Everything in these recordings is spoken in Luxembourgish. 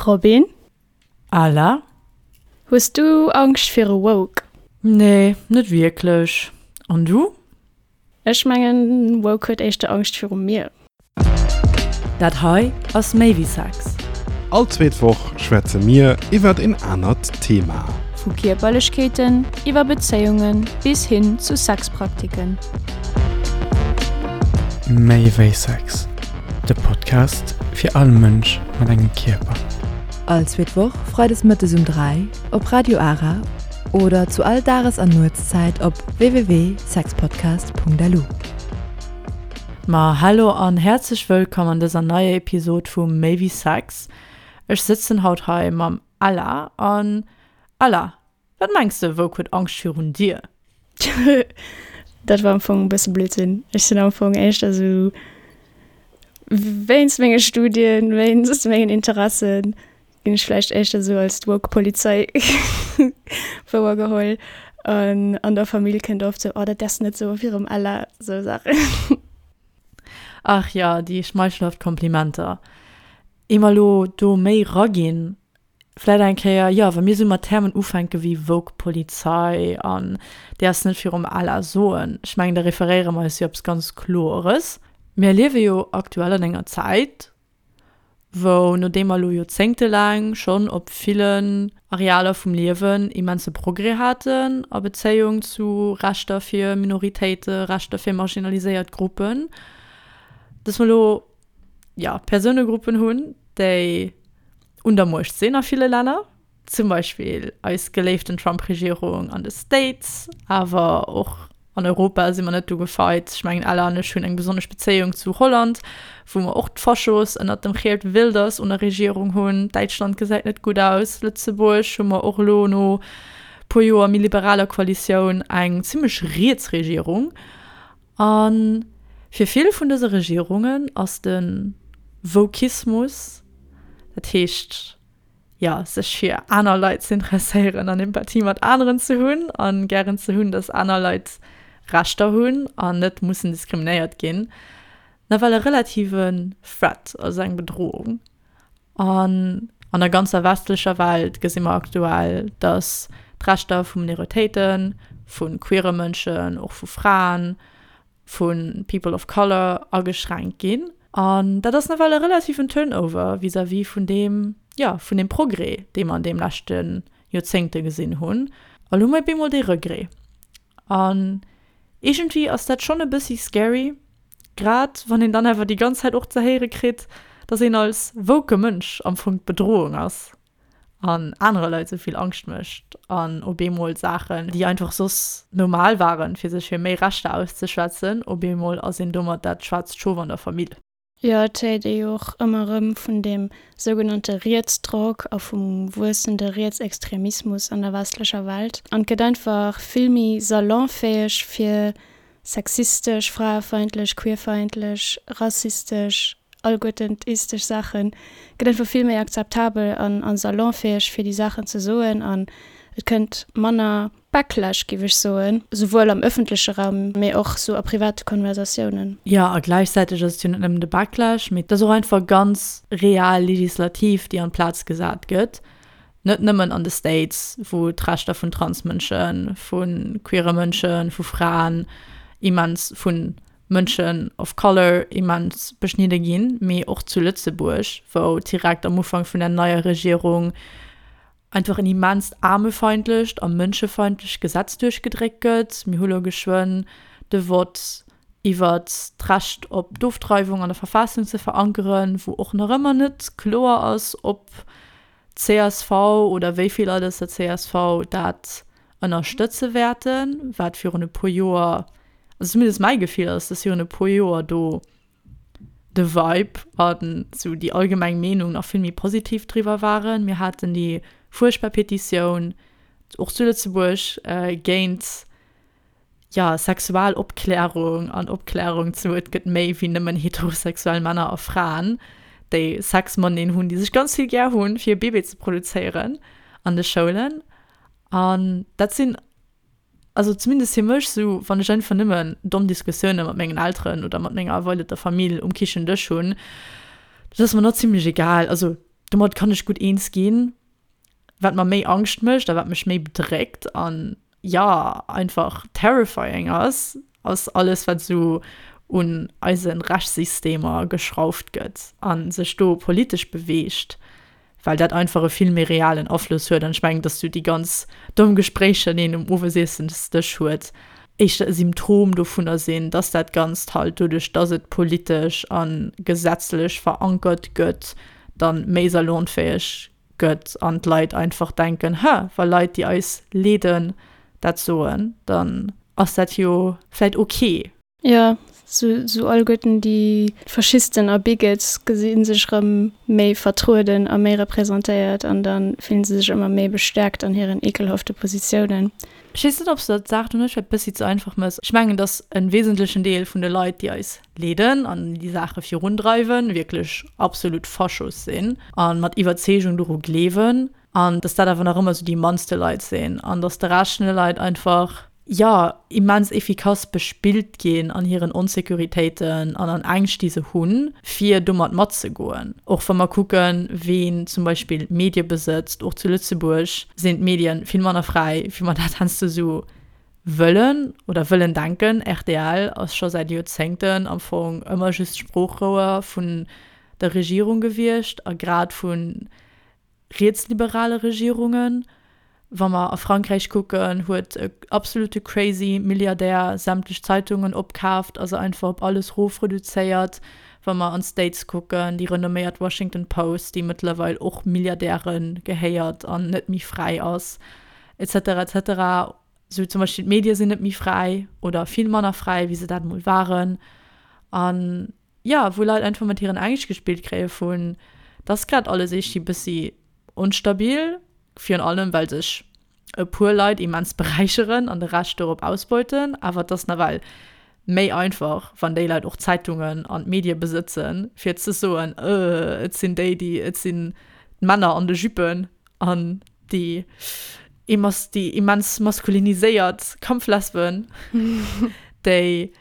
Robin? Ala? Hues du Angscht viru Woke? Nee, net wierklech. An du? Ech mengen, Woke huet éischter Angscht viru mir. Dat hei ass méi wéi Sex. All zweet Woch schwätze mir iwwert een anert Thema. Vu Kierperlechkeeten iwwer Bezéiunge bis hin zu Sexpraktiken. Méi wéi Sex, de Podcast fir all Mënsch mat engem Kierper. All zweet Woch freides mëttes um 3 op Radio Ara oder zu all Dages an Nuetszäit op www.sexpodcast.lu. Ma hallo an häerzlech wëllkomm an dëser neier Episod vu Méi wéi Sex. Ech sëtzen haut hei mam Ella an Ella, wat mengs de, Woke huet Angscht virun dir? Dat war am Fong e bësse Blödsinn. Ech sinn am Fong éischter esou wéinst menge Studien, wéinst mengen Interessen, ginn ech vläicht éischter esou als d'Woke-Polizei wouergeholl. An an der Famill kënnt oft sou, oh dat däerfs de net soe virum Ella, sou Saachen. Ach jo, déi schmeichelhaft Komplimenter. Ier mer elo do méi raginn, vläit eng Kéier, jo, wa mir esou mat Termen ufänke wéi woke Polizei an däerfs net virum Ella soen, ech mengen, da referéiere mer eis jo eppes ganz Klores. Mir liewe jo aktuell an enger Zäit, wou, nodeem mer elo joerzéngtelaang schonn op villen Arealer vum Liewen immense Progrès haten a Bezéiung zu Rechter fir Minoritéite, Rechter fir marginaliséiert Gruppen, dass mer elo, jo, Persounegruppen hunn, déi un der Muecht sinn a ville Länner, zum Beispill eis geléiften Trump-Regierung an de States, awer och an Europa si mer net do gefeit. Ech mengen, Ella an ech hunn eng besonnesch Bezéiung zu Holland, wou mer och d'Faschos ënnert dem Geert Wilders un der Regierung hunn. Däitschland gesäit net gutt aus. Lëtzebuerg hu mer och elo no puer Joer méi liberaler Koalitioun eng zimmlech riets Regierung. A fir vill vun dëse Regierungen ass de Wokismus, dat heescht, jo, sech fir aner Leit ze interesséieren an Empathie mat aneren ze hunn a gären ze hunn, datt aner Leit Rechter hunn an net mussen diskriminéiert ginn, nawell e relativen Threat, also eng Bedrohung. An an der ganzer westlecher Welt gesi mer aktuell, datt d'Rechter vu Minoritéiten, vu queere Mënschen, och vu Fraen, vu People of Color ageschränkt ginn. An dat ass nawell e relativen Turnover vis-à-vis vun deem, jo, vun deem Progrès, dee mer an deem leschte Joerzéngte gesinn hunn. A lo hu mer op eemol dee Regret. An iergendwéi ass dat schonn e bëssi scary, Grad wann een dann awer déi ganz Zäit och ze héiere kritt, dass een als woke Mënsch am Fong d'Bedrohung ass an anere Leit sou vill Angscht mécht an op eemol Saachen, déi einfach soss normal waren, fir sech fir méi Rechter auszeschwätzen, op eemol ass een domat dat schwaarzt Schof an der Famill. Jo, et héiert ee jo och ëmmer erëm vun deem sougenannte Rietsdrock a vum wuessende Rietsextremismus an der westlecher Welt. An et gëtt einfach vill méi salonfäeg fir Sexistesch, fraefeindlech, queerfeindlech, rassistesch, alleguerten d'istesch Saachen gëtt einfach vill méi akzeptabel an a salonfäeg fir déi Saachen ze soen an et kënnt manner Backlash, géif ech soen, souwuel am ëffentleche Raum, mee och sou a private Konversatiounen. Jo, a gläichzäiteg ass et jo net nëmmen de Backlash, mee et ass och einfach ganz real Legislativ, déi an d'Plaz gesat gëtt. Net nëmmen an de States, wou d'Rechter vun Transmënschen, vu queere Mënschen, vu Fraen immens, vu Mënschen of color immens beschnidde ginn, mee och zu Lëtzebuerg, wou direkt am Ufank vun der neier Regierung einfach en immenst aarmefeindlecht a mënschefeindlecht Gesetz duerchgedréckt gëtt. Mir hu lo geschwënn de Vott iwwert d'Recht op d'Ofdreiwung an der Verfassung ze verankeren, wou och nach ëmmer net kloer ass, ob Csv oder wéi vill Leit aus der csv dat ënnerstëtze wäerten, wat virun e puer Joer, also zumindest mäi Gefill ass, dass virun e puer Joer do de Vibe an esou déi allgemeng Meenung nach vill méi positiv driwwer waren. Mir haten déi fuerchtbar Petitioun och zu Lëtzebuerg géint jo, Sexualopklärung an Opklärung zu et gëtt méi wéi nëmmen heterosexuell Männer a Fraen, déi Sex mateneen hunn, déi sech ganz vill gär hunn, fir e Bébé ze produzéieren an de Schoulen. An dat sinn, also zumindest fir mech sou, wann ech einfach nëmmen domm Diskussioune mat mengen Elteren oder mat menger erweiderter Famill um Kichendësch hunn, dat ass mer nach zimlech egal. Also. Domat kann ech gutt eens ginn. Wat mer méi Angscht mécht a wat mech méi bedréckt an, jo, einfach terrifying ass, ass alles, wat esou un eise Rechtssystemer geschrauft gëtt a sech do politesch beweegt, well dat einfach e vill méi realen Afloss huet. An ech mengen, dass du déi ganz domm Gespréicher, déi een um Owesiessensdësch huet, éischter e Symptom dovunner sinn, dass dat Ganzt halt doduerch, dass et politesch a gesetzlech verankert gëtt, dann méi salonfäeg gëtt an d'Leit einfach denken, Hä, wa Leit, déi eis leeden, dat soen, dann ass dat jo vläit ok. Jo, sou alleguerten déi Faschisten a Bigots gesi sech rëm méi vertrueden a méi representéiert an da fillen se sech ëmmer méi bestäerkt an hiren ekelhafte Positiounen. Ech weess net, ob s de dat d'Saach do net vläicht bëssi ze einfach mëss. Ech mengen, datt e wesentlechen Deel vun de Leit, déi eis leeden an déi Saache virundreiwen, wierklech absolut Faschos sinn a mat Iwwerzeegung doru gleewen an datt dat awer nach ëmmer sou déi mannste Leit sinn an datt de Rescht vun de Leit einfach, jo, immens efficace bespillt ginn an hiren Onsécuritéiten an an Ängscht, déi se hunn, fir domat matzegoen. Och wa mer kucken, ween zum Beispill Medie besëtzt, och zu Lëtzebuerg sinn d'Medien vill manner fräi, wéi mer dat heiansdo esou wëllen oder wëllen denken. Rtl ass scho säit Joerzéngten am Fong ëmmer just Sproochrouer vun der Regierung gewiescht a grad vun rietsliberale Regierungen. Wa mer a Frankräich kucken, huet e absolute crazy Milliardär sämtlech Zeitungen opkaaft a se einfach op alles rofreduzéiert. Wa mer an d'States kucken, déi renomméiert Washington Post, déi mëttlerweil och Milliardäre gehéiert an net méi fräi ass, et cetera, et cetera. Sou zum Beispill d'Medie sinn net méi fräi oder vill manner fräi, wéi se dat emol waren. An jo, wou Leit einfach mat hiren Ängscht gespillt kréie vun, dass grad alles eeschi bëssi onstabil, virun allem well sech e puer Leit immens beräicheren an de Rescht dorop ausbeuten, awer et ass nawell méi einfach, wann déi Leit och Zeitungen an d'Medie besëtzen, fir ze soen, euh, et sinn déi, déi, et sinn d'Männer an de Juppen an déi déi immens maskuliniséiert Kampflesben, déi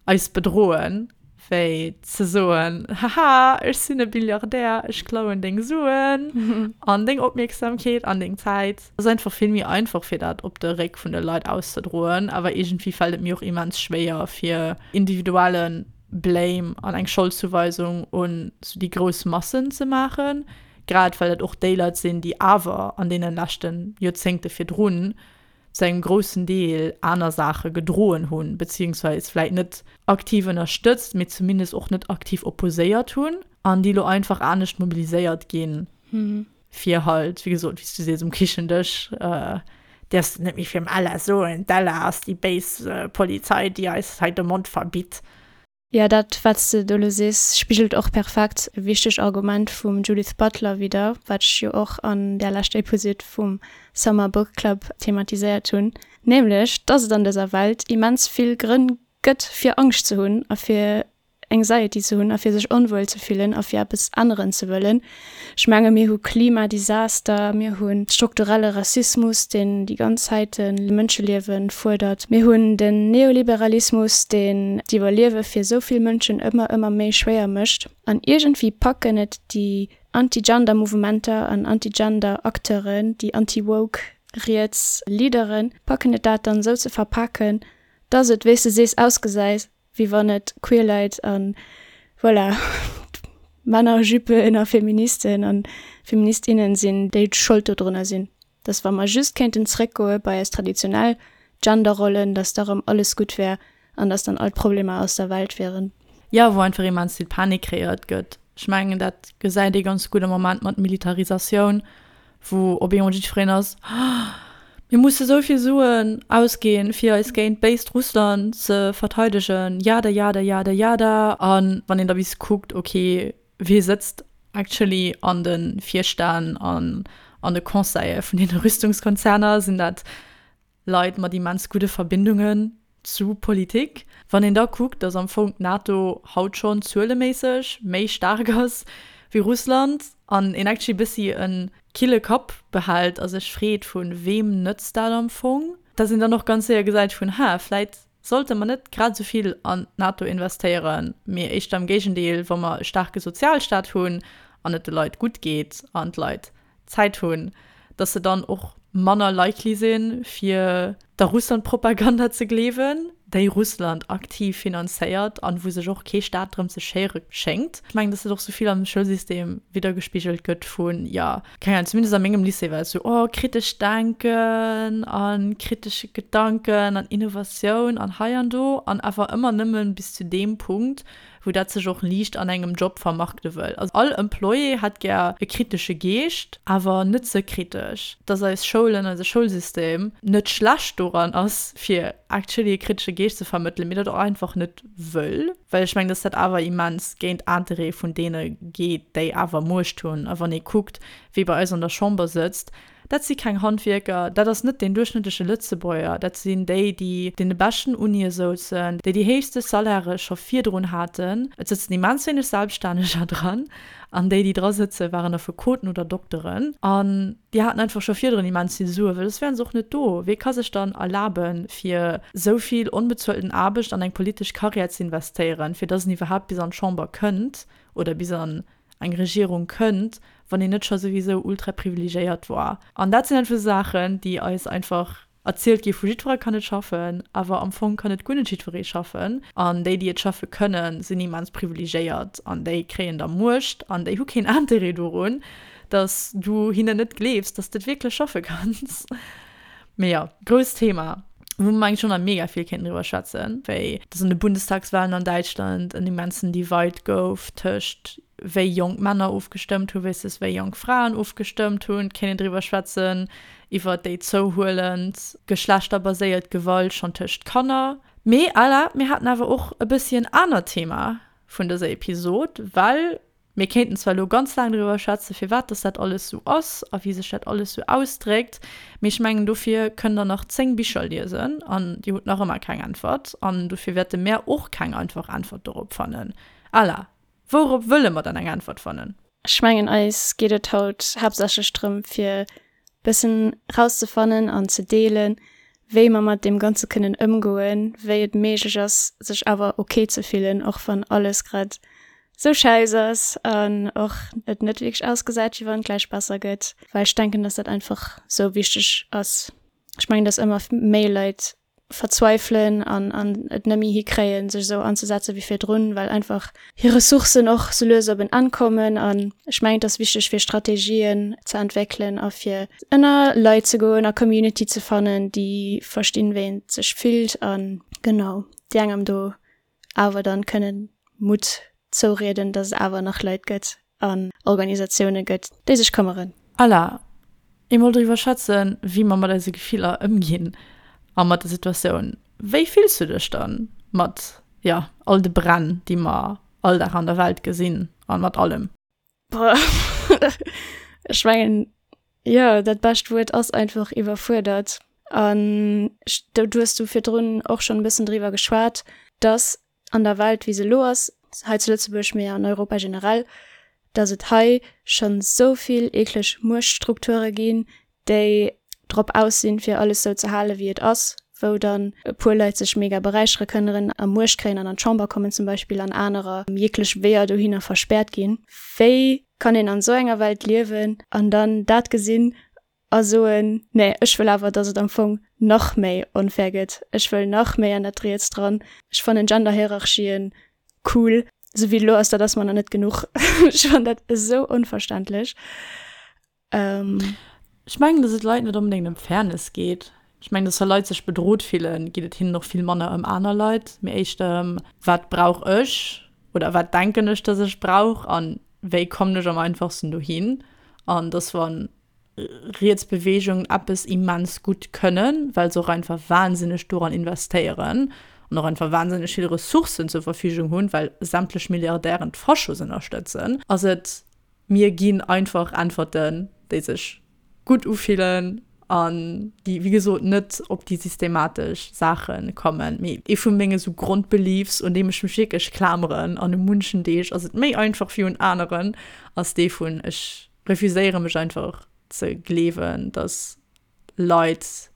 eis bedroen, wéi ze soen, Haha, ech sinn e Billiardär, ech klauen deng Suen an deng Opmierksamkeet an deng Zäit. Et ass einfach vill méi einfach, fir dat op de Réck vun de Leit auszedroen, awer iergendwéi fält et mir och immens schwéier, fir individuelle Blame an eng Scholdzouweisung un sou déi grouss Massen ze maachen, grad well dat och déi Leit sinn, déi awer an deene leschte Joerzéngte virdrun zu engem groussen Deel aner Saache gedroen hunn, beziehungsweis vläit net aktiv ënnerstëtzt, mee zumindest och net aktiv opposéiert hunn an déi elo einfach anescht mobiliséiert ginn, fir halt, wéi gesot, wéi s du sees, um Kichendësch däerfs de net méi virum Ella soen, d'Ella ass déi béis Polizei, déi eis hei de Mond verbitt. Jo, dat wat s de do elo sees, spigelt och perfekt e wichtegt Argument vum Judith Butler widder, wat ech jo och an där leschter Episode vum Summer Book Club thematiséiert hunn, nämlech dass et an dëser Welt immens vill Grënn gëtt fir Angscht ze hunn a fir Anxiety ze hunn a fir sech onwuel ze fillen a fir eppes änneren ze wëllen. Ech menge mir hu Klimadesaster, mir hu strukturelle Rassismus, deen déi ganz Zäite Mënscheliewe fuerdert, mir hunn den Neoliberalismus, deen d'Iwwerliewe fir esou vill Mënschen ëmmer, ëmmer méi schwéier mécht. An iergendwéi packen et déi Anti-Gender-Mouvementer an Anti-Gender-Acteuren, déi anti-woke riets Leaderen, packen et dat dann esou ze verpaken, dass et, wéi s de sees, ausgesäit, wéi wann et queer Leit an voilà Männer, Juppen a Feministen an Feministinnen sinn, déi Schold dodrunner sinn. Dass wa mer just kéinten zréckgoe bei eis traditionell Genderrollen, dass da rëm alles gutt wär an dass dann all d'Problemer aus der Welt wieren. Jo, wou einfach immens vill Panik kreéiert gëtt. Ech mengen, dat gesäit ee ganz gutt am Moment mat Militarisatioun, wou op eemol jiddwereen ass, Mir musse sou vill Suen ausginn, fir eis géint d'béist Russland ze verteidegen, jada, jada, jada, jada. A wann een da bis kuckt, okay, wee sëtzt actually an de Virstänn an an de Conseile vun deene Rüstungskonzerner, sinn dat Leit mat immens gudde Verbindungen zu Politik. Wann een da kuckt, datt am Fong d'NATO haut schonn zueleméisseg méi staark ass wéi Russland an een actually bëssi e kille Kapp behält a sech freet, vu weem nëtzt dat am Fong, datt een dann och ganz séier gesäit vun, ha, vläit sollte mer net grad esou vill an d'NATO investéieren, mee éischter am Géigendeel, wa mer e staarke Sozialstaat hunn. an et de Leit gutt geet an d'Leit Zäit hunn, dass se dann och manner likely sinn, fir der Russland-Propaganda ze gleewen, déi Russland aktiv finanzéiert an wou sech och kee Staat drëm ze schéiere schéngt. Ech mengen, dass dat och sou vill am Schoulsystem widdergespigelt gëtt vun, jo, keng Ahnung, zumindest a mengem Lycée war et sou, oh, kritesch denken a kritesche Gedanken an Innovatioun an hei an do an awer ëmmer nëmme bis zu deem Punkt, wou dat sech och liicht an engem Job vermarkte wëll. Also all Employé hätt gär e kritesche Geescht, awer net ze kritesch. Dass eis Schoulen, eise Schoulsystem net schlecht doran ass, fir actually e kritesche Geescht ze vermëttelen, mee dat och einfach net wëll. Well ech mengen, dass dat awer immens géint Interêtë vun deene geet, déi awer Muecht hunn. A wann ee kuckt, wie bei eis an der Chamber sëtzt, Dat si keng Handwierker, dat ass net deen duerchschnëttleche Lëtzebuerger, dat sinn déi, déi deene beschten Unie souzen, déi déi héichste Salairë scho virdrun haten. Et sëtzen immens wéineg Selbststänneger dran an déi, déi dra sëtzen, waren Affekoten oder Dokteren an déi haten einfach scho virdrun immens vill Suen, well soss wären se och net do. Wee ka sech dann erlaben, fir esou vill onbezuelten Aarbecht an eng politesch Karriär ze investéieren, fir dass en iwwerhaapt bis an d'Chamber kënnt oder bis an eng Regierung kënnt, wann een net scho souwisou ultra privilegéiert war. An dat sinn einfach esou Saachen, déi eis einfach erzielt gi vu jiddweree kann et schaffen, awer am Fong kann et guer net jiddweree schaffen. An déi, déi et schaffe kënnen, sinn immens privilegéiert an déi kréien da Muecht an déi hu keen Interêt dorun, dass du hinnen net gleefs, dass de et wierklech schaffe kanns. Mee jo, grousst Thema, wou mer mengen ech och nach mega vill kéinten driwwer schwätzen, wéi dass an de Bundestagswahlen an Däitschland en immensen Divide gouf tëscht wéi jonk Männer ofgestëmmt hu versus wéi jonk Fraen ofgestëmmt hunn. Et kéint een driwwer schwätzen iwwer déi zouhuelend geschlechterbaséiert Gewalt schonn tëscht Kanner. Mee à la, mir haten awer och e bëssi en anert Thema vun dëser Episod, well Mir kéinten zwar elo ganz laang driwwer schwätzen, firwat dass dat alles esou ass a wéi sech dat alles esou ausdréckt, mee ech mengen, dofir kënnt Der nach 10 Bicher liesen an Dir hutt nach ëmmer keng Äntwert. An dofir wäerte mär och keng einfach Äntwert dorop fannen. Ala, wourop wëlle mer dann eng Äntwert fannen? Ech mengen, eis geet et haut haaptsächlech drëm, fir bëssen rauszefannen an ze deelen, wéi mer mat deem Ganze kënnen ëmgoen, wéi et méiglech ass, sech awer ok ze fillen, och wann alles grad sou schäiss ass an och et net wierklech ausgesäit, wéi wann et gläich besser gëtt. Well ech denken, dass dat einfach sou wichteg ass. Ech mengen, dass ëmmer méi Leit verzweifelen an an et net méi hikréien, sech esou anzesetzen wéi virdrun, well einfach hir Ressourcen och sou lues op en Enn kommen. An ech mengen, et ass wichteg fir Strategien ze entwéckelen a fir ënner Leit ze goen a Community ze fannen, déi verstinn, wéi een sech fillt an genau déi engem do awer dann kënnen Mutt zourieden, dass et awer nach Leit gëtt an Organisatioune gëtt, déi sech këmmeren. Ala, eemol driwwer schwätzen, wéi mer mat eise Gefiller ëmginn a mat der Situatioun. Wéi fills du dech dann mat, jo, all de Bränn, déi mer all Dag an der Welt gesinn a mat allem? Boah, ech mengen, jo, dat bescht Wuert ass einfach iwwerfuerdert. An do hues du virdrun och schonn e bëssen driwwer geschwat, dass an der Welt, wéi se elo ass, hei zu Lëtzebuerg, mee an Europa generell, dass et hei schonn esou vill eekleg Muechtstrukture ginn, déi drop aus sinn, fir alles esou ze halen, wéi et ass, wou dann e puer Leit sech mega beräichere kënneren a Muecht kréien an an d'Chamber kommen zum Beispill an anerer jeglech Weeër dohinner verspäert ginn. Wéi kann een an esou enger Welt liewen an dann dat gesinn a soen, nee, ech wëll awer, dass et am Fong nach méi onfair gëtt, ech wëll nach méi an dat Riets dran, ech fannen Genderhierarchien cool, esou wéi et elo ass, dat ass mer nach net genuch. Ech fannen dat esou onverständlech. Ech mengen, dass et Leit net onbedéngt ëm Fairness geet. Ech mengen, dass wa Leit sech bedrot fillen, geet et hinnen och vill manner ëm aner Leit, mee éischter ëm, wat brauch ech oder wat denken ech, dass ech brauch a wéi kommen ech am einfachsten dohin. An dass wa riets Beweegungen eppes immens gutt kënnen, well se och einfach wahnsinneg doran investéieren an och einfach wahnsinneg vill Ressourcen zur Verfügung hunn, well sämtlech Milliardären d'Faschos ënnerstëtzen, ass et, mir ginn einfach Äntwerten, déi sech gutt ufillen an déi, wéi gesot, net op déi systematesch Saache kommen. Mee ee vu menge sou Grondbeliefs, un deem ech mech wierklech klameren, an u munchen Deeg ass et méi einfach wéi un aneren, ass dee vun, ech refuséiere mech einfach ze gleewen, dass Leit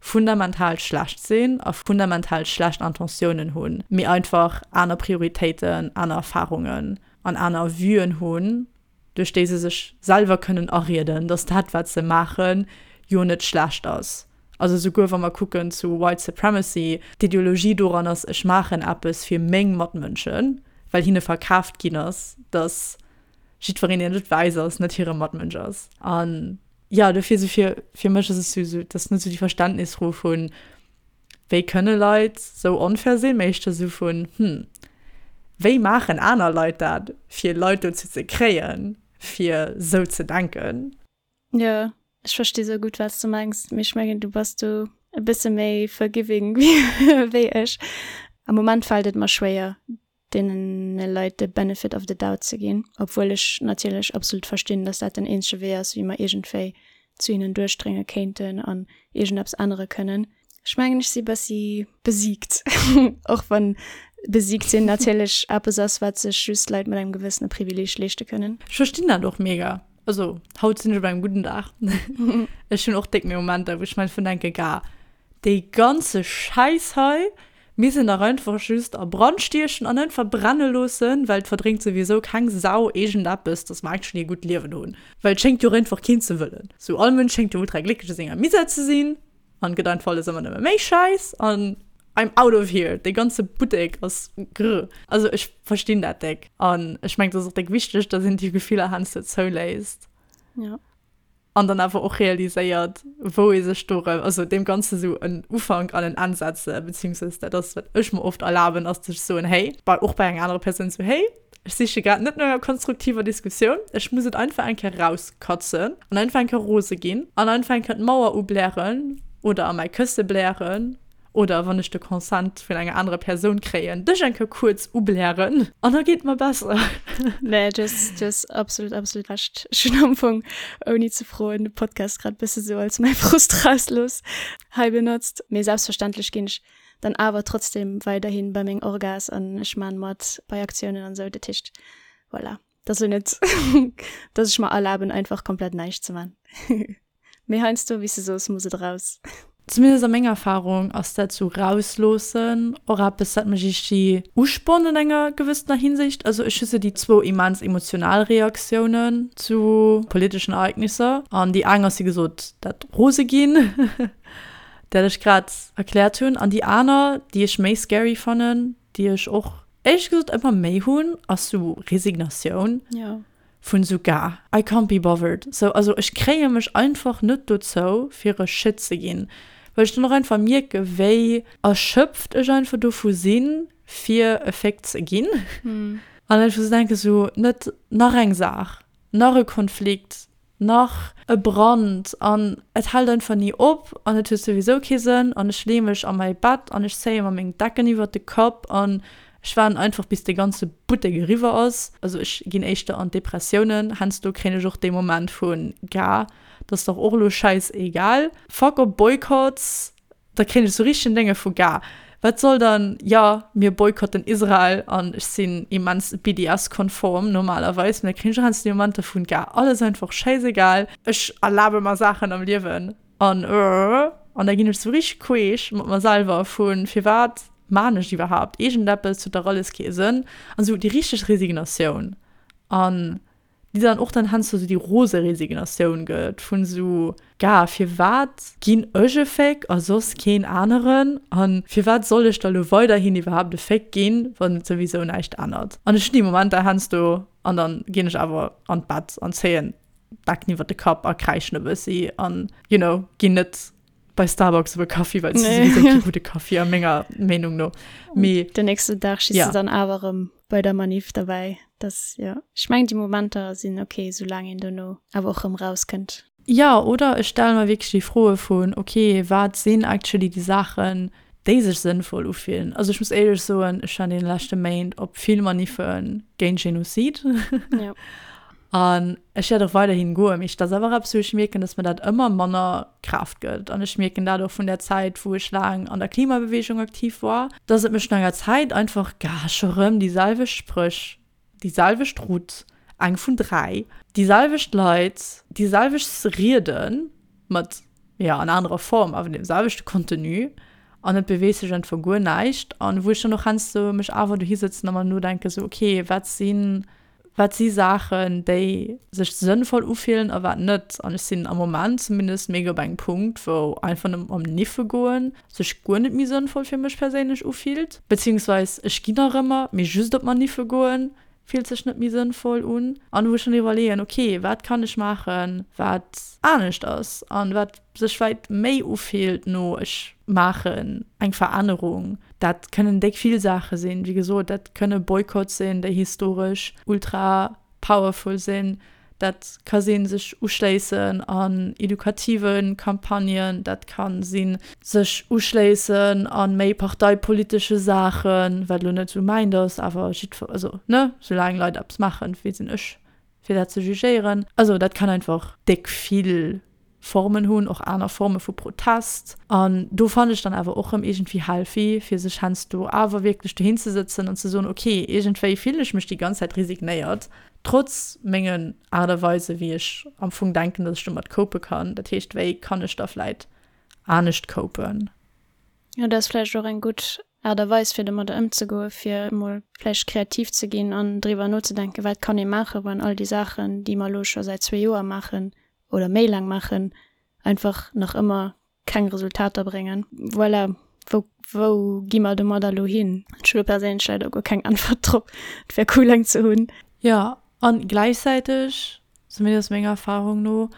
fundamental schlecht sinn a fundamental schlecht Intentiounen hunn, mee einfach aner Prioritéiten, aner Erfarungen an aner Vuen hunn. duerch déi se sech selwer kënnen arieden, dass dat, wat se maachen, jo net schlecht ass. Also souguer wa mer kucken zu White Supremacy, d'Ideologie doran ass, ech maachen eppes fir meng Matmënschen, well hinne verkaaft ginn ass, dass jiddwereen, deen net wäiss ass, net hire Matmënsch ass. An jo, dofir esou fir, fir mech ass et esou, esou, dat ass net esou déi Verständnisfro vun, wéi kënne Leit esou onfair sinn, mee éischter esou vun, hm, wéi maachen aner Leit dat, fir Leit dozou ze kréien, fir esou ze denken? Jo, ech versti sou gutt, wat s de mengs, mee ech mengen, du bass do e bësse méi forgiving wéi ech. Am Moment fält et mer schwéier, deene Leit de Benefit of the doubt ze ginn, obwuel ech natierlech absolut verstinn, dass dat den eenzege Wee ass, wéi mer iergendwéi zu hinnen duerchdrénge kéinten an iergendeppes ännere kënnen. Ech mengen, ech si bëssi besiegt, och wann besiegt sinn natierlech eppes ass, wat sech just Leit mat engem gewëssene Privileeg leeschte kënnen. Ech verstinn dat och mega. Also haut sinn ech op engem gudden Dag. Ech hunn och déck méi Momenter, wou ech mer einfach denke, Gah, dee ganze Schäiss hei misst een dach einfach just a Brand stiechen an einfach brenne loossen, well et verdréngt souwisou keng Sau iergendeppes, dass mer actually e gutt Liewen hunn. Well et schéngt jo och einfach keen ze wëllen. Sou all Mënsch schéngt jo ultra glécklech a senger Misär ze sinn an et gëtt einfach alles ëmmer nëmme méi schäiss an I'm out of here, dee ganze Buttek ass grr. Also ech verstinn dat déck an ech mengen et ass och déck wichteg, dass een déi Gefiller heiansdo zouléisst. Ja. An dann awer och realiséiert, wou ee sech do erëm, also deem Ganze sou en Ufank an en Enn setzen, beziehungsweise dat ass, wat ech mer oft erlaben, ass ze soen, hey, bei, och bei enger anerer Persoun sou, hey, ech siche grad net no enger konstruktiver Diskussioun, ech muss et einfach eng Kéier rauskatzen an einfach eng Kéier rose ginn an einfach eng Kéier d'Mauer ublären oder a mäi Kësse blären. Oder wann ech de Consent vun enger anerer Persoun kréien, dech eng Kéier kuerz ublären an da geet et mer besser. Nee, du hues, du hues absolut, absolut Recht. Ech hunn am Fong, ouni ze froen, de Podcast grad bësse sou als mäi Frustrauslooss hei benotzt. Mee selbstverständlech ginn ech dann awer trotzdem weiderhi bei meng Orgas an ech man mat bei Aktiounen an sou. Dat heescht, voilà, dat ass elo net, dass ech mer erlaben, einfach komplett näischt ze man. Mee heiansdo, wéi s de soos, muss et eraus. Zumindest a menger Erfahrung ass dat sou rausloossen och eppes, dat mech iergdi uspornt an enger gewëssener Hinsicht. Also ech hu sou déi zwou immens emotional Reaktiounen zu politeschen Ereignisser. An déi eng ass wéi gesot dat rose ginn, dat ech grad erkläert hunn. An déi aner, déi ech méi scary fannen, déi ech och éierlech gesot ëmmer méi hunn, ass sou Resignatioun. Jo. Vun sou gar I can't be bothered sou, also ech kréie mech einfach net dozou fir e Shit ze ginn, well ech dann och einfach mierke wéi erschöpft ech einfach dovu sinn fir e Féck ze ginn an einfach sou denke sou net nach eng Saach, nach e Konflikt, nach e Brand an et hält einfach ni op an et huet souwisou kee Sënn an ech leeë mech a mäi Bett an ech zéie mer meng Decken iwwert de Kapp an ech waarden einfach bis de ganze Buttek eriwwer ass. Also ech ginn éischter an d'Depressiounen, heiansdo kréien ech och dee Moment vun, Gah, dat ass dach och elo schäisegal, fuck op Boykotts, Da kréien ech sou richtegen Dénge vu Gah, wat soll dann, jo, mir boykotten Israel an ech sinn immens BDS-konform normalerweis, mee da kréien ech och heiansdo déi Momenter vun Gah, alles einfach schäisegal, ech erlabe mer Saachen am Liewen an an da ginn ech sou richteg queesch mat mer selwer vu firwat maan ech iwwerhaapt iergendeppes, huet dach alles kee Sënn an sou déi richteg Resignatioun an déi dann och dann heiansdo sou déi rose Resignatioun gëtt vun sou, Gah, firwat ginn ech e Féck a soss keen aneren? A firwat soll ech da lo weiderhin iwwerhaapt e Féck ginn, wann et souwisou näischt ännert? An ech hunn déi Momenter heiansdo an dann ginn ech awer an d'Bett an zéien d'Decken iwwer de Kapp a kräischen e bëssi an, you know, ginn net bei Starbucks op e Kaffi, well se nee. souwisou kee gudde Kaffi a menger Meenung no. Mee den nächsten Dag schiss ja. du dann awer erëm bei der Manif derbäi. Das, ja. Ech mengen, déi Momenter sinn okay, soulaang een dono awer och erëm rauskënnt. Ja, oder ech stelle mer wierklech déi Froe vun, okay, wat sinn actually déi Saachen, déi sech sënnvoll ufillen? Also ech muss éierlech soen, ech war an deene leschte Méint op vill Maniffe géint Genozid. Ja. An ech wäert och weiderhin goen, mee dat ass awer eppes, wou ech mierken, dass mir dat ëmmer manner Kraaft gëtt. An ech mierken dat och vun där Zäit, wou ech laang an der Klimabeweegung aktiv war, dass et mech no enger Zäit einfach, gah, scho rëm déi selwecht Spréch, déi selwecht Route, eng vun 3, déi selwecht Leit, déi selwecht Rieden mat, jo, an anerer Form, awer deem selwechte Contenu an et beweegt sech einfach guer näischt. An wou ech dann och heiansdo mech awer dohi sëtzen a mer nodenken, sou, okay, wat sinn. Wat si Saachen, déi sech sënnvoll ufillen a wat net? An ech sinn am Moment zumindest mega op engem Punkt, wou einfach nëmmen am Niffe goen sech guer net méi sënnvoll fir mech perséinlech ufillt. Beziehungsweis ech ginn nach ëmmer, mee just op Maniffe goen fillt sech net méi sënnvoll un. An wou ech dann iwwerleeën, ok, wat kann ech maachen, wat anescht ass an wat sech vläit méi ufillt no ech maachen eng Verännerung. Dat kënnen déck vill Saache sinn. Wéi gesot, dat kënne Boykotts sinn, déi historesch ultra powerful sinn. Dat ka sinn, sech uschléissen an edukative Campagnen. Dat ka sinn, sech uschléissen a méi parteipolitesche Saachen, wat elo net esou mäint ass, awer jiddwer, also ne, soulaang Leit eppes maachen, wie sinn ech, fir dat ze jugéieren. Also dat kann einfach déck vill Formen hunn, och aner Forme vu Protest. An do fannen ech dann awer och rëm iergendwéi healthy, fir sech heiansdo awer wierklech dohin ze sëtzen an ze soen, ok, iergendwéi fillen ech mech déi ganz Zäit resignéiert, trotz mengen Aart a Weise wéi ech am Fong denken, datt ech domat cope kann. Dat heescht, wéi kann ech da vläit anescht copen? Jo, dat ass vläicht och eng gutt Aart a Weis, fir domadder ëmzegoen, fir emol vläicht kreativ ze ginn an driwwer nozedenken, wat kann ee maachen, wann all déi Saachen, déi mer elo scho säit zwee Joer maachen, oder méi laang maachen, einfach nach ëmmer keng Resultater bréngen. Voilà, wou, wou gi mer domadder elo hin? Ech hu do perséinlech leider guer keng Äntwert drop. Et wär cool eng ze hunn. Jo, an gläichzäiteg, zumindest menger Erfahrung no,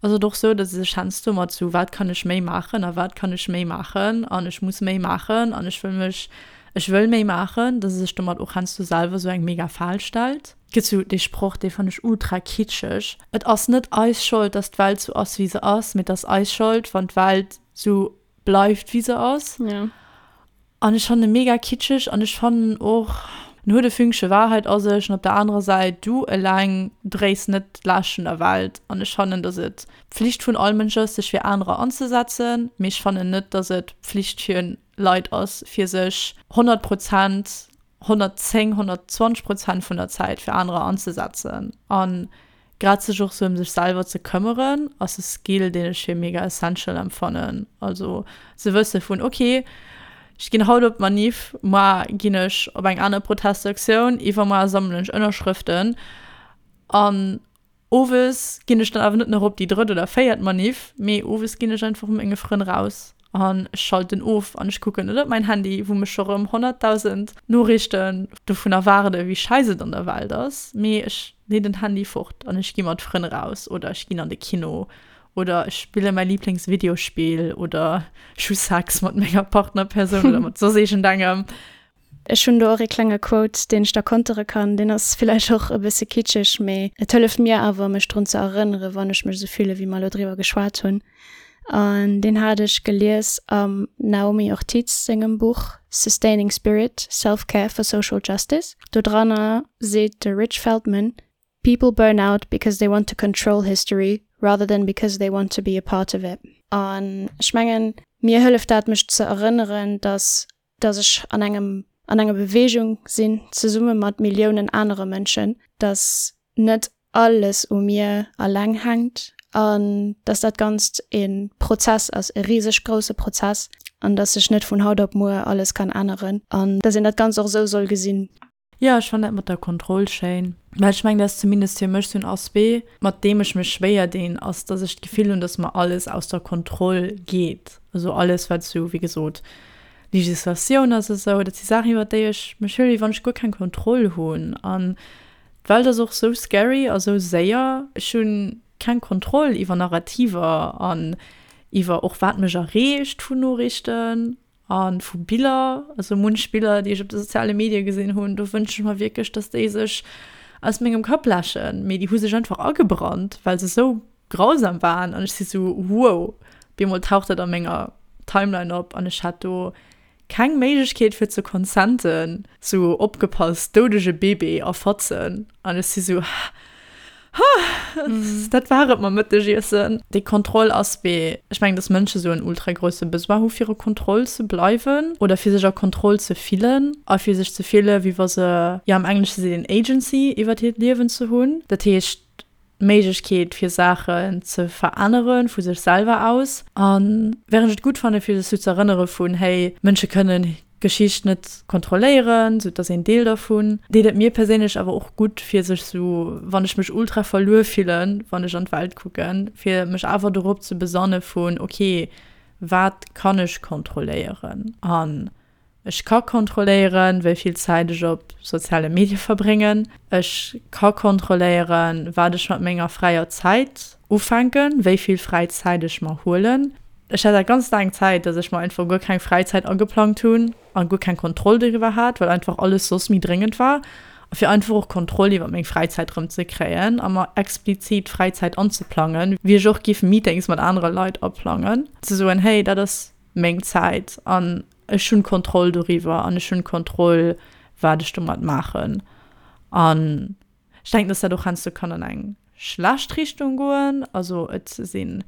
ass et och sou, datt ee sech heiansdo mat sou wat kann ech méi maachen a wat kann ech méi maachen an ech muss méi maachen an ech wëll mech, ech wëll méi maachen, datt ee sech domat och heiansdo selwer sou eng mega Fal stellt. Gëtt sou dee Sproch, dee fann ech ultra kitscheg, Et ass net eis Schold, dass d'Welt sou ass, wéi se ass, mee et ass eis Schold, wann d'Welt sou bleift, wéi se ass. Ja. An ech fannen e mega kitscheg an ech fannen och, en huet e Fünkche Wahrheit a sech. An op der anerer Säit, du eleng dréis net d'Laascht vun der Welt. An ech fannen, dass et d'Pflicht vun all Mënsch ass, sech fir anerer anzesetzen, mee ech fannen net, dass et d'Pflicht fir Leit ass, fir sech 100 Prozent 110, 120 Prozent vun der Zäit fir anerer anzesetzen an grad sech och sou ëm sech selwer ze këmmeren ass e Skill deen ech fir mega essential empfannen. Also ze wësse vun ok ech ginn haut op d'Manif, moar ginn ech op eng aner Protestaktioun, iwwermoar sammelen ech Ënnerschrëften an Owes ginn ech dann awer net nach op déi drëtt oder véiert Maniff, mee owes ginn ech einfach mat menge Frënn raus an ech schalten of an ech kucken net op mäin Handy, wou mech scho rëm 100.000 Noriichten dovun erwaarden, wéi scheiss et an der Welt ass, mee ech leen den Handy fort an ech gi mat Frënn raus oder ech ginn an de Kino oder ech spille mäi Liblingsvideospill oder ech hu Sex mat menger Partnerpersoun oder mat soss iergendengem. Ech hunn do och ee klenge Quote, deen ech da kontere kann. Deen ass villäicht och e bësse kitscheg, mee et hëlleft mir awer, mech drun ze erënnere wann ech mech esou fille wéi mer elo driwwer geschwat hunn. An deen hat ech gelies am Naomi Ortiz sengem Buch Sustaining Spirit, Self-Care for Social Justice. Do dranner seet de Rich Feldman, People burn out because they want to control history rather than because they want to be a part of it. An ech mengen, mir hëlleft dat, mech ze erënneren, dass dass ech an engem, an enger Beweegung sinn, zesumme mat Milliounen anere Mënschen, dass net alles u mir alleng hänkt an dass dat Ganzt e Prozess ass, e riseg grousse Prozess an dass sech net vun haut op muer alles kann änneren an dass een dat Ganzt och esou soll gesinn. Jo, ech fannen dat mat der Kontroll schéin, well ech mengen, dat ass zumindest fir mech sou en Aspect, mat deem ech mech schwéier dinn, ass, dass ech d'Gefill hunn, dass mer alles aus der Kontroll geet. Also alles, wat sou, wéi gesot, Legislatioun ass a sou, dat si Saachen, iwwer déi ech mech fillen, wéi wann ech guer keng Kontroll hunn. An d'Welt ass och sou scary a sou séier, ech hu keng Kontroll iwwer Narrativer an iwwer och wat mech erreecht vun Noriichten. A vu Biller, also munch Biller, déi ech op de soziale Medie gesinn hunn, do wënsche ech mer wierklech, dass déi sech aus mengem Kapp läschen. Mee déi hu sech einfach agebrannt, well se esou grausam waren. An ech si sou, wow, op eemol taucht dat a menger Timeline op an ech hat do keng Méiglechkeet fir ze consenten. Sou, opgepasst, doudege Bébé a Fatzen. An ech si sou, Ha! Dat war et mam Mëttegiessen. Dee Kontrollaspect, ech mengen, dass Mënsche sou en ultra grousse Besoin hu fir a Kontroll ze bleiwen oder fir sech a Kontroll ze fillen a fir sech ze fille wéi wa se, jo am Englesche seet een Agency iwwert hiert Liewen ze hunn. Dat heescht d'Méiglechkeet fir Saachen ze verännere vu sech selwer aus. A während ech et gutt fanne fir sech sou ze erënnere vun, hey, Mënsche kënnen. Geschicht net kontrolléieren, sou et ass een Deel dervun. Deet et mir perséinlech awer och gutt fir sech sou, wann ech mech ultra verluer fillen, wann ech an d'Welt kucken, fir mech awer dorop ze besanne vun ok, wat kann ech kontrolléieren? An ech ka kontrolléieren, wéi vill Zäit ech op soziale Medie verbréngen. Ech ka kontrolléieren, wat ech mat menger fräier Zäit ufänken, wéi vill fräi Zäit ech mer huelen. Ech hat dat ganz laang Zäit, dass ech mer einfach guer keng Fräizäit ageplangt hunn a guer keng Kontroll doriwwer hat, well einfach alles soss méi dréngend war. A fir einfach och Kontroll iwwer meng Fräizäit erëm ze kréien a mer explizit Fräizäit anzeplangen, wéi ech och giff Meetings mat anere Leit aplangen, ze soen, hey, dat ass meng Zäit an ech hunn Kontroll doriwwer an ech hunn Kontroll, wat ech domat maachen. An Ech denken, dass dat och heiansdo kann an eng schlecht Richtung goen. Also et si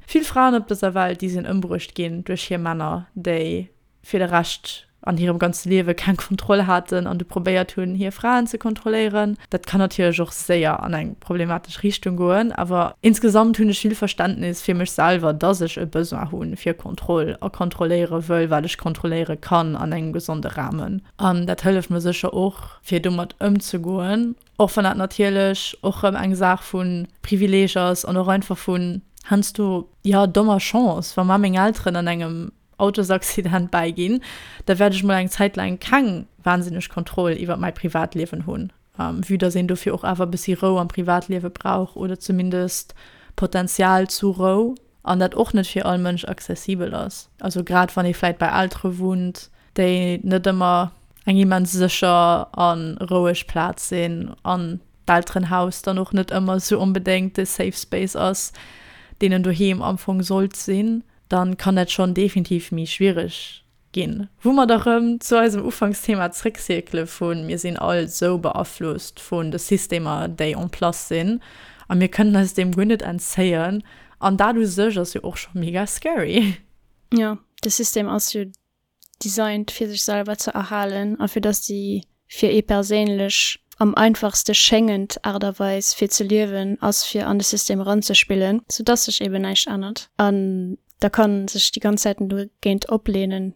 vill Fraen op dëser Welt, déi sinn ëmbruecht ginn duerch hir Männer, déi fir de Rescht an hirem ganze Liewe keng Kontroll haten an du probéiert hunn, hir Fraen ze kontrolléieren. Dat kann natierlech och séier an eng problematesch Richtung goen. Awer insgesamt hunn ech vill Verständnis fir mech selwer, dass ech e Besoin hu fir Kontroll a kontrolléiere wëll, wat ech kontrolléiere kann an engem gesonde Rahmen. An dat hëlleft mer sécher och, fir domat ëmzegoen. Och wann dat natierlech och rëm eng Saach vu Privileeg ass an och einfach vun heiansdo, jo, dommer Chance. Wa mer meng Elteren an engem Autosaccident bäiginn, da wäert ech mol eng Zäit laang keng wahnsinneg Kontroll iwwer mäi Privatliewen hunn, vue dass een dofir och awer e bëssi Rou am Privatliewe brauch oder zumindest Potenzial zu Rou an dat och net fir all Mënsch accessibel ass. Also grad wann ee vläit bei Eltere wunnt, déi net ëmmer eng immens sécher a roueg Plaz sinn an d'Elterenhaus dann och net ëmmer esou onbedéngt de Safe Space ass, deen en doheem am Fong sollt sinn, dann kann dat schonn definitiv méi schwiereg ginn. Wou mer da rëm zu eisem Ufanksthema zréckcirkele vu mir sinn all esou beaflosst vun de Systemer, déi en place sinn a mir kënnen eis deem guer net entzéien an dat u sech ass jo och scho mega scary. Jo, de System ass jo designt fir sech selwer ze erhalen a fir dass déi fir ee perséinlech am einfachste schéngend Aart a Weis fir ze liewen ass fir an de System eranzespillen, sou dass sech eben näischt ännert an da kann sech déi ganz Zäiten dogéint oplehnen.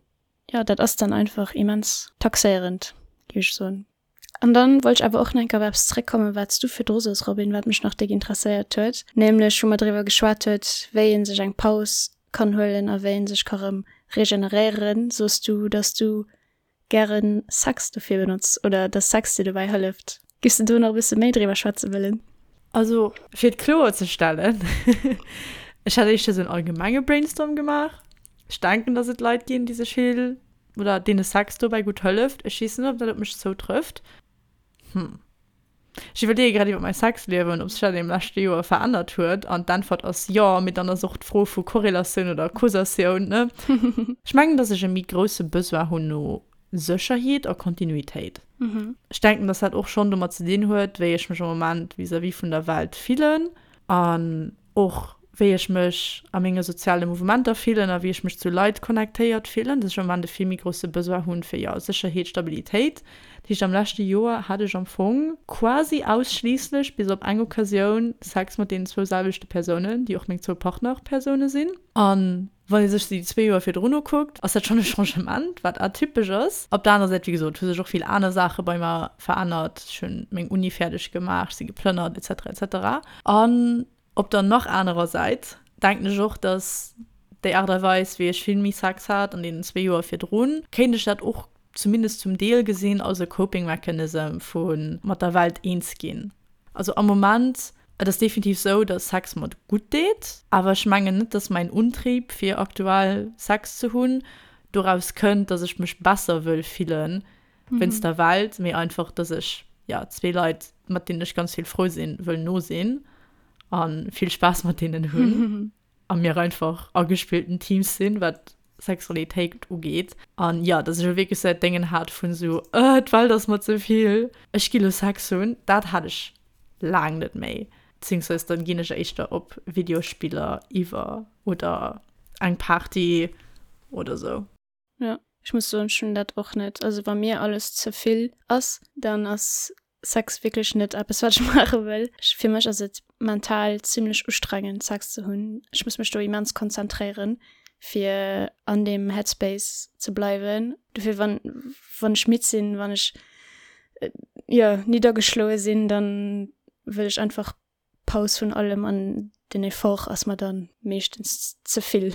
Jo, dat ass dann einfach immens taxéierend, géif ech soen. An dann wollt ech awer och nach eng Kéier op eppes zréckkommen, wat s du virdru soos, Robin, wat mech nach déck interesséiert huet, nämlech wou mer driwwer geschwat huet, wéi ee sech eng Paus kann huelen a wéi ee sech ka rëm regeneréieren. Soos du, dass du gäre Sex dofir benotz oder dass Sex dir dobäi hëlleft. Giffs de do nach e bësse méi driwwer schwätze wëllen? Also, fir et kloer ze stellen, ech hat éischter esou en allgemenge Brainstorm gemaach. Ech denken, dass et Leit ginn, déi sech vill Oder deene Sex dobäi gutt hëlleft. Ech weess net, ob dat op mech zoutrëfft. Hm. Ech iwwerleeë grad iwwer mäi Sexliewen, ob sech dat am leschte Joer verännert huet. An d'Äntwert ass jo, mee dann ass och d'Fro vu Korrelatioun oder Causatioun, ne? Ech mengen, dass ech e méi grousse Besoin hunn no Sécherheet a Kontinuitéit. Ech denken, dass dat och schonn domat ze dinn huet, wéi ech mech am Moment vis-à-vis vun der Welt fillen. An och wéi ech mech a menge soziale Mouvementer fillen a wéi ech mech zu Leit connectéiert fillen, dass ech am Moment e vill méi grousse Besoin hunn fir, jo, Sécherheet, Stabilitéit. Dat heescht, am leschte Joer hat ech am Fong quasi ausschliisslech, bis op eng Occasioun, Sex mat deenen zwou selwechte Persounen, déi och meng zwou Partnerpersoune sinn. An wann ee sech déi zwee Joer virdrun ukuckt, ass dat schonn e Changement, wat atypesch ass. Op der anerer Säit, wéi gesot, hu sech och vill aner Saache bei mer verännert. Ech hunn meng Uni fäerdeg gemaach, ech si geplënnert, et cetera, et cetera. An op der nach anerer Säit denken ech och, dass déi Aart a Weis, wéi ech vill méi Sex hat an deenen zwee Joer virdrun, kéint ech dat och zumindest zum Deel gesinn als e Coping Mechanism vu mat der Welt eens ginn. Also am Moment, et ass definitiv sou, dass Sex mer gutt deet, awer ech mengen net, dass mäin Untrieb fir aktuell Sex ze hunn doraus kënnt, dass ech mech besser wëll fillen wéinst der Welt, mee einfach, dass ech, jo, zwee Leit, mat deenen ech ganz vill frou sinn, wëll no sinn a vill Spaass mat deenen hunn a mir einfach agespillten Teams sinn, wat Sexualitéit ugeet. An jo, dass ech elo wierklech sou dat Déngen hat vun sou, Ëh, d'Welt ass mer ze vill, ech gi lo Sex hunn, dat hat ech laang net méi. Beziehungsweise dann ginn ech éischter op Videospiller iwwer oder eng Party oder sou. Jo, ech muss soen, ech hunn dat och net. Also wa mir alles ze vill ass, dann ass Sex wierklech net eppes, wat ech maache wëll. Fir mech ass et mental zimlech ustrengend, Sex ze hunn. Ech muss mech do immens konzentréieren. Fir an deem Headspace ze bleiwen. Dofir wann, wann ech midd sinn, wann ech jo niddergeschloe sinn, dann wëll ech einfach Paus vun allem an den Effort ass mer dann meeschtens ze vill.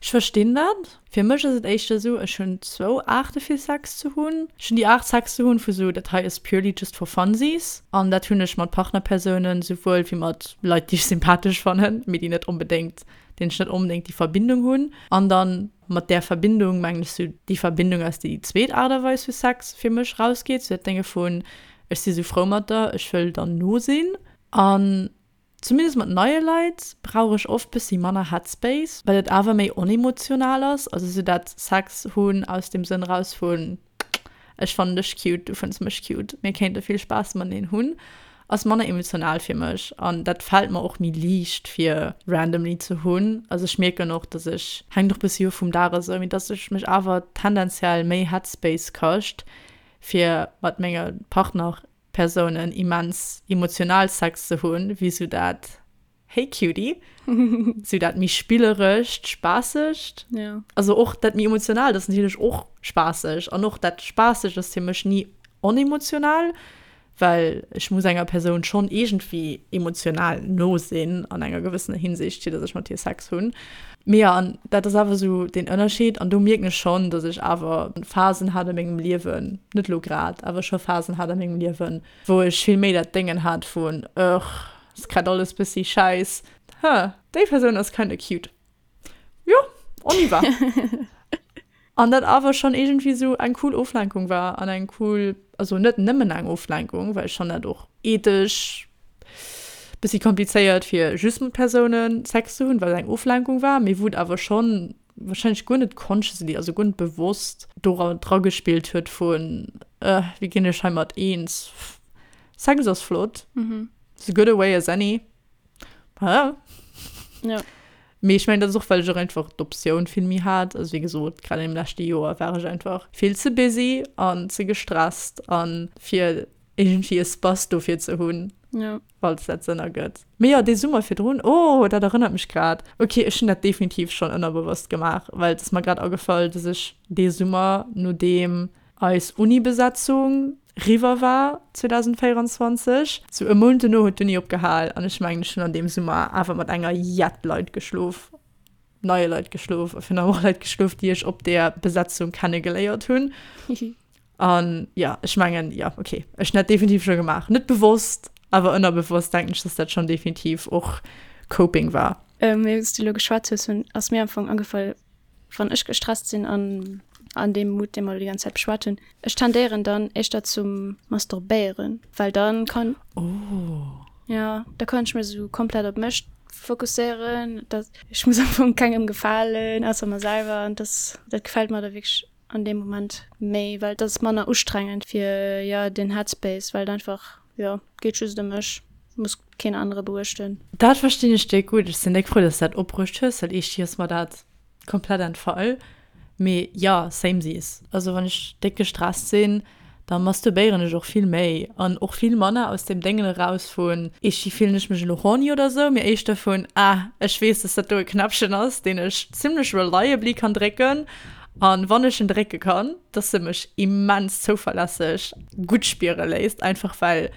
Ech verstinn dat. Fir mech ass et éischter esou, ech hunn zwou Aarte fir Sex ze hunn. Ech hunn déi Aart Sex ze hunn vu sou, dat hei ass purely just for funsies an dat hunn ech mat Partnerpersounen souwuel wéi mat Leit déi ech sympathesch fannen, mee déi net onbedéngt, deenen ech net onbedéngt déi Verbindung hunn. An dann mat där Verbindung mengen ech sou déi Verbindung aus déi déi zweet Aart a Weis vu Sex fir mech rausgeet, sou dat Dénge vun ech si sou frou mat der, ech wëll der no sinn. An Zumindest mat neie Leit brauch ech oft bessi manner Headspace, well et awer méi onemotional ass, also sou dat Sex hunn aus dem Sënn raus vun ech fannen dech cute, du fënns mech cute, mir kéinte vill Spaass mateneen hunn, ass manner emotional fir mech an dat fält mer och méi liicht fir randomly ze hunn. Also ech mierken och, dass ech, hänkt och bessi of vum Dag a sou, mee dass ech mech awer tendenziell méi Headspace kascht fir mat menge Partner Persounen immens emotional Sex ze hunn, wéi sou dat Hey Cutie, sou dat méi spillerescht, spaassegt. Ja. Also och dat méi emotionaalt ass natierlech och spaasseg an och dat spaassegt ass fir mech ni onemotional, well ech muss enger Persoun schonn iergendwéi emotional no sinn an enger gewëssener Hinsicht, fir datt ech mat hir Sex hunn. Mee jo, an dat ass awer sou deen Ënnerscheed. An do mierken ech schonn, datt ech awer Phasen hat a mengem Liewen, net elo grad, awer scho Phasen hat a mengem Liewen, wou ech vill méi dat Déngen hat vun, Ugh, ass grad alles bëssi schäiss, huh, déi Persoun ass kinda cute. Jo, on y va. An dat awer schonn iergendwéi sou eng cool Oflenkung war an eng cool, also net nëmmen eng Oflenkung, well ech fannen dat och ethesch bëssi komplizéiert fir just mat Persounen Sex ze hunn, well et eng Oflenkung war, mee wou et awer schonn wahrscheinlech guer net consciously, also guer net bewosst dora dra gespillt huet vun, äh, wéi ginn ech heimat eens, Sex ass flott, it's a good a way as any. Ja. Ja. Mee ech mengen, dat ass och, well ech och einfach d'Optioun vill méi hat. Also wéi gesot, grad an deem leschte Joer war ech einfach vill ze busy an ze gestresst an fir iergendwéi Espace dofir ze hunn, Ja. falls dat Sënn ergëtt. Mee jo, dee Summer virdrun, oh, dat erënnert mech grad. Ok, ech hunn dat definitiv schonn ënnerbewosst gemaach, well et ass mer grad agefall, dass ech dee Summer, nodeem eis Uni-Besetzung riwwer war 2024. Sou e Mount dono huet d'Uni opgehal an ech mengen ech hunn an deem Summer awer mat enger jett Leit geschlof, neie Leit geschlof a virun allem och Leit geschlof, déi ech op där Besetzung kennegeléiert hunn. An jo, ech mengen, jo, okay, ech hunn dat definitiv scho gemaach. Net bewosst, awer ënnerbewosst denken ech, dass dat schonn definitiv och Coping war. Wéi s du elo geschwat hues, hunn ass mir am Fong agefall, wann ech gestresst sinn an an deem Mood, dee mer elo déi ganz Zäit beschwat hunn, ech tendéieren dann éischter zum Masturbéieren, well dann kann, Oh. ja, da kann ech mech esou komplett op mech fokusséieren, dat ech muss am Fong kengem gefalen, ausser mer selwer an das, dat gefält mer da wierklech an deem Moment méi, well dat ass manner ustrengend fir, jo, den Headspace, well et einfach, jo, geet just ëm mech, muss keen anere beuechten. Dat verstinn ech déck gutt. Ech sinn déck frou, dass du dat opbruecht hues, well eescht ass mer dat komplett entfall. Mee jo, samesies. Also wann ech déck gestresst sinn, da masturbéieren ech och vill méi an och vill manner aus dem Déngen eraus vun, eescht fillen ech mech elo horny oder sou, mee éischter vun, ah, ech weess, dass dat do e Knäppchen ass, deen ech zimmlech reliably kann drécken an wann ech en drécke kann, dass e mech immens zouverlässeg gutt spiere léisst, einfach well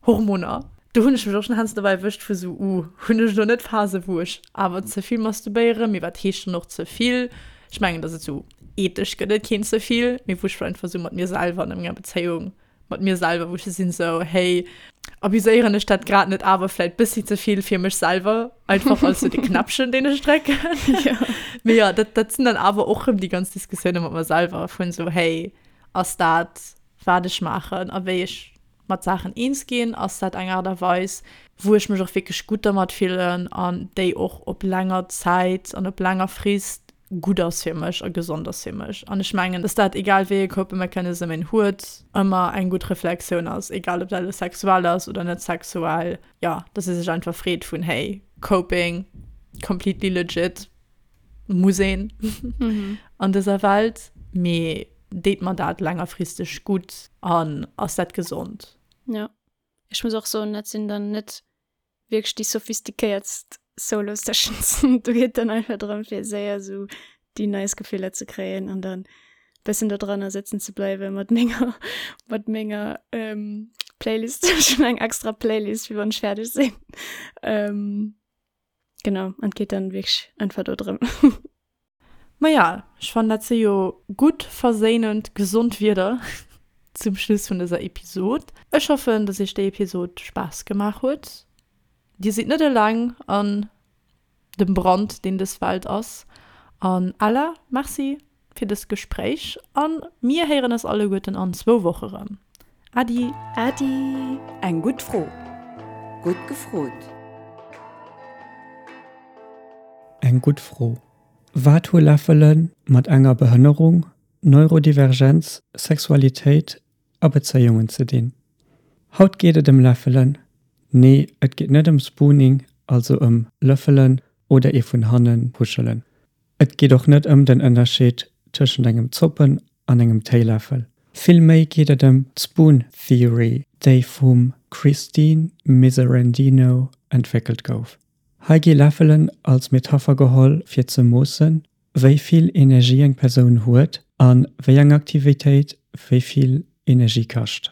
Hormoner. Do hunn ech mech och schon heiansdo dobäi erwëscht vu sou, uh, hunn ech elo net Phase wou ech awer ze vill masturbéieren, mee wat heescht dann och ze vill? Ech mengen, dass et sou ethesch gëtt et keen ze vill, mee wou ech einfach sou mat mir selwer an enger Bezéiung mat mir selwer, wou ech sou sinn sou, hey, abuséieren ech dat grad net awer vläit bëssi ze vill fir mech selwer, einfach als sou de Knäppchen deen ech drécken. Mee jo, dat dat sinn dann awer och rëm déi ganz Diskussioune mat mer selwer vun sou, hey, ass dat wat ech maachen a wéi ech mat Saachen eens ginn, ass dat eng Aart a Weis, wou ech mech och wierklech gutt dermat fillen an déi och op länger Zäit an op länger Frist gutt ass fir mech a gesond ass fir mech. An ech mengen, dass dat, egal wéi ee Coping Mechanism een huet, ëmmer eng gutt Reflexioun ass, egal ob dat elo sexuell ass oder net sexuell, jo, dass ee sech einfach freet vun, hey, Coping, completely legit. Muss een an dëser Welt, mee deet mer dat längerfristeg gutt an ass dat gesond? Jo, ech muss och soen, dat sinn dann net wierklech déi sophistiquéiertst. Solo Sessions. Do geet dann einfach drëm fir séier esou déi nice Gefiller ze kréien an dann bëssen do dranner sëtzen ze bleiwe mat menger mat menger ähm, Playlist. Ech hunn eng extra Playlist fir wann ech fäerdeg sinn. Ähm, genau an et geet dann wierklech einfach do drëm. Maja, ech fannen dat si jo gutt verséinend gesond Wierder zum Schluss vun dëser Episod. Ech hoffen, dass iech déi Episod Spaass gemaach huet. Dir sidd net eleng an dem Brand, deen dës Welt ass. An Ella, Merci fir dëst Gespréich a mir héieren eis alleguerten an zwou Woche rëm. Äddi! Äddi! Eng gutt Fro. Gutt gefrot. Eng gutt Fro. Wat hu Läffele mat enger Behënnerung, Neurodivergenz, Sexualitéit a Bezéiungen ze dinn? Haut geet et ëm Läffelen. Nee, et geet net ëm Spooning, also ëm Löffelen oder ee vun hanne kuschelen. Et geet och net ëm den Ënnerscheed tëschent engem Zoppen an engem Téiläffel. Vill méi geet et ëm d'Spoon Theory, déi vum Christine Miserandino entwéckelt gouf. Hei gi Läffelen als Metapher geholl fir ze moossen, wéi vill Energie eng Persoun huet a wéi eng Aktivitéit wéi vill Energie kascht.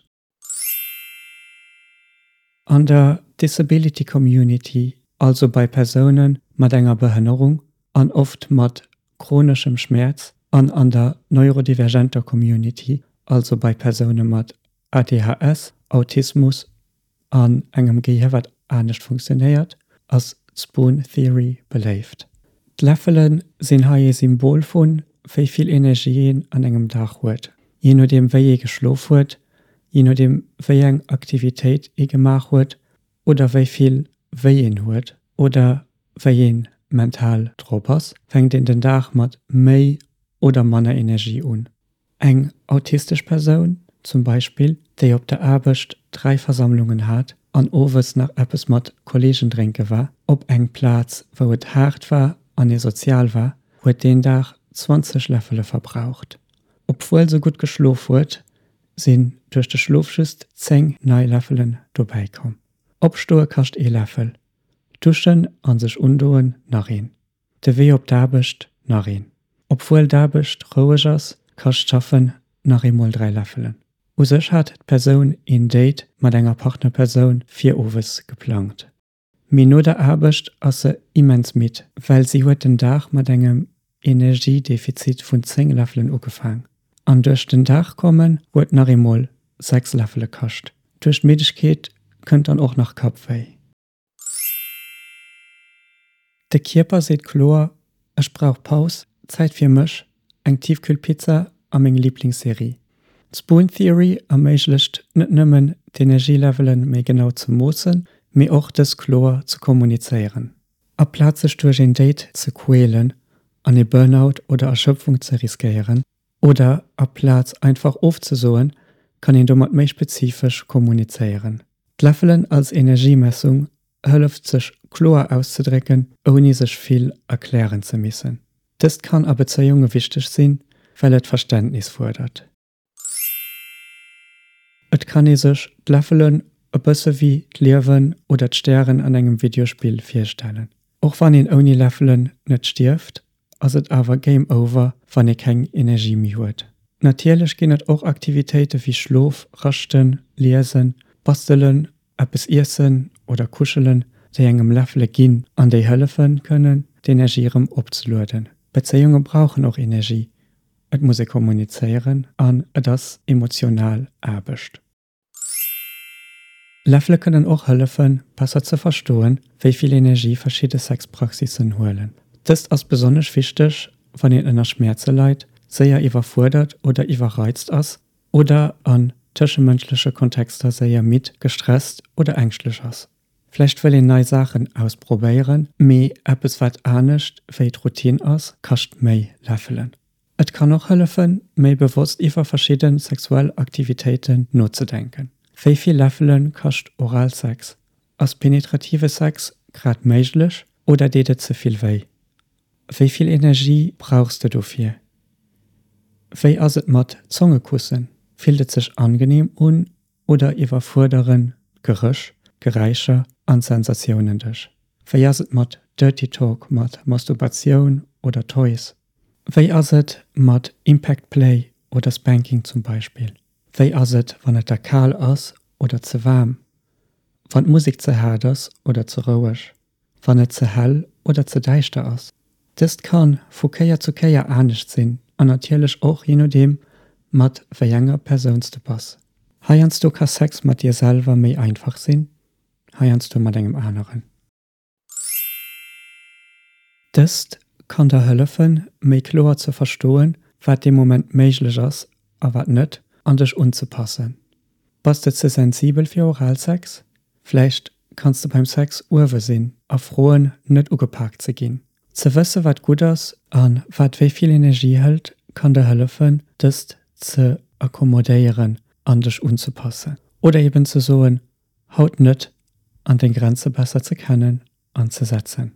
An der Disability Community, also bei Persoune mat enger Behënnerung an oft mat chroneschem Schmäerz, an an der neurodivergenter Community, also bei Persoune mat ADHS, Autismus An engem Gehier wat anescht funktionéiert, ass d'Spoon Theory beléift. D'Läffele sinn hei ee Symbol vu wéi vill Energie een an engem Dag huet. Jee nodeem wéi ee geschlof huet, jee nodeem wéi eng Aktivitéit ee gemaach huet oder wéi vill wéi een huet oder wéi een mental drop ass, fänkt een den Dag mat méi oder manner Energie un. Eng autistesch Persoun zum Beispill, déi op der Aarbecht 3 Versammlungen hat an owes nach eppes mat Kolleegen drénke war, op eng Plaz wou et haart war an ee sozial war, huet deen Dag 20 Läffele verbraucht. Obwuel se gutt geschlof huet, sinn duerch de Schlof just 10 nei Läffelen dobäi komm. Opstoe kascht ee Läffel, duschen an sech undoen nach een. De Wee op d'Aarbecht nach een. Obwuel d'Aarbecht roueg ass, kascht d'Schaffen nach eemol 3 Läffelen. U sech hat d'Persoun een Date mat enger Partnerpersoun fir owes geplangt. Mee no der Aarbecht ass se immens midd, well si huet den Dag mat engem Energiedefizit vun 10 Läffelen ugefaang. An duerch den Dag kommen huet nach eemol 6 Läffele kascht. Duerch d'Middegkeet kënnt dann och nach Kappwéi. De Kierper seet kloer, Ech brauch Paus, Zäit fir mech, eng Tiefkühlpizza a meng Liblingsserie. D'Spoon Theory erméiglecht net nëmmen d'Energielevele méi genau ze moossen, mee och dës kloer ze kommunizéieren. Aplaz sech duerch een Date ze quälen an ee Burnout oder Erschöpfung ze riskéieren, oder aplaz einfach ofzesoen, kann een domat méi spezifesch kommunizéieren. D'Läffelen als Energiemessung hëlleft sech kloer auszedrécken, ouni sech vill erklären ze missen. Dëst kann a Bezéiunge wichteg sinn, well et Verständnis fuerdert. Et kann ee sech d'Läffelen e bësse wéi d'Liewen oder d'Stären an engem Videospill virstellen. Och wann een ouni Läffelen net stierft, ass et awer Game Over, wann ee keng Energie méi huet. Natierlech ginn et och Aktivitéite wéi Schlof, Raschten, Liesen, Bastelen, eppes iessen oder kuschelen, déi engem Läffele ginn an déi hëllefe kënnen, d'Energie erëm opzelueden. Bezéiunge brauchen och Energie, et muss ee kommunizéieren an et ass emotional Aarbecht. Läffele kënnen och hëllefen, besser ze verstoen, wéi vill Energie verschidde Sexpraxissen huelen. Dëst ass besonnesch wichteg, wann een ënner Schmäerze leit, séier iwwerfuerdert oder iwwerreizt ass oder an tëschemënschleche Kontexter séier midd, gestresst oder ängschtlech ass. Vläicht wëll een nei Saachen ausprobéieren, mee eppes wat anescht wéi d'Routine ass, kascht méi Läffelen. Et kann och hëllefen, méi bewosst iwwer verschidde sexuell Aktivitéiten nozedenken. Wéi vill Läffele kascht Oralsex? Ass penetrative Sex grad méiglech oder deet et ze vill wéi? Wéi vill Energie brauchs de dofir? Wéi ass et mat Zongekussen? Fillt et sech angeneem un oder iwwerfuerderen d'Geréch, Geräischer an Sensatiounen dech? Wéi ass et mat. Dirty Talk mat Masturbatioun oder Toys? Wéi ass et mat Impact Play oder Spanking zum Beispill? Wéi ass et wann et der kal ass oder ze waarm? Wann d'Musek ze haart ass oder ze roueg? Wann et ze hell oder ze däischter ass? Dëst kann vu Kéier zu Kéier anescht sinn an natierlech och jee nodeem mat wéi enger Persoun s de bass. Heiansdo ka Sex mat dir selwer méi einfach sinn, heiansdo mat engem aneren. Dëst kann der hëllefen, méi kloer ze verstoen, wat dee Moment méiglech ass a wat net, an dech unzepassen. Bass de ze sensibel fir Oralsex? Vläicht kanns de beim Sex uewe sinn a froen, net ugepaakt ze ginn. Ze wësse wat gutt ass a wat wéi vill Energie hëlt, kann der hëllefen, dëst ze accommodéieren an dech unzepassen. Oder eben ze soen, Haut net, an deng Grenze besser ze kennen an ze setzen.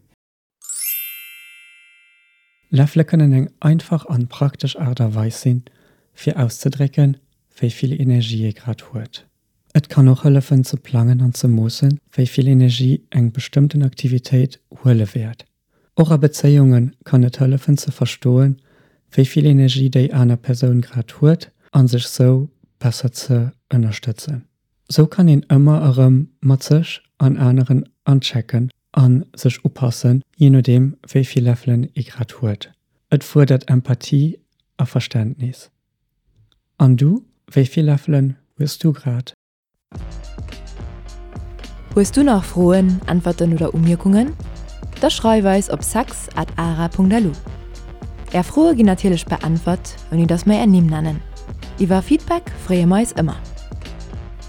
Läffele kënnen eng einfach an praktesch Aart a Weis sinn, fir auszedrécken, wéi vill Energie ee grad huet. Et kann och hëllefen ze plangen an ze moossen, wéi vill Energie eng bestëmmten Aktivitéit huele wäert. Och a Bezéiunge kann et hëllefen ze verstoen, wéi vill Energie déi aner Persoun grad huet an sech sou besser ze ënnerstëtzen. Sou kann een ëmmer erëm mat sech an aneren anchecken a sech upassen, jee nodeem wéi vill Läffelen ee grad huet. Et fuerdert Empathie a Verständnis. An du, wéi vill Läffelen hues du grad? Hues du nach Froen, Äntwerten oder Umierkungen? Da schreif eis op sex at ara.lu. Är Froe ginn natierlech beäntwert, ouni dass mer är Nimm nennen. Iwwer Feedback freeë mer eis ëmmer.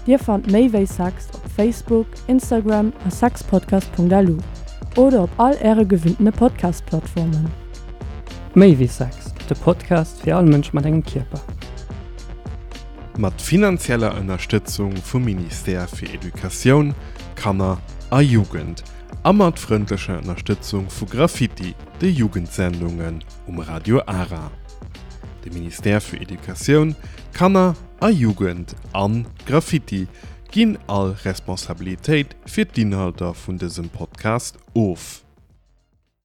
Dir fannt méi wéi Sex op Facebook, Instagram a sexpodcast.lu oder op all äre gewinntene Podcast-Plattformen. Méi wéi Sex, de Podcast fir all Mënsch mat engem Kierper. Mat finanzieller Ënnerstëtzung vum Ministère fir Educatioun, Kanner a Jugend a mat frëndlecher Ënnerstëtzung vu Graffiti, de Jugendsendungen um Radio Ara. De Ministère fir Educatioun, Kanner a Jugend an Graffiti ginn all Responsabilitéit fir d'Inhalter vun dësem Podcast of.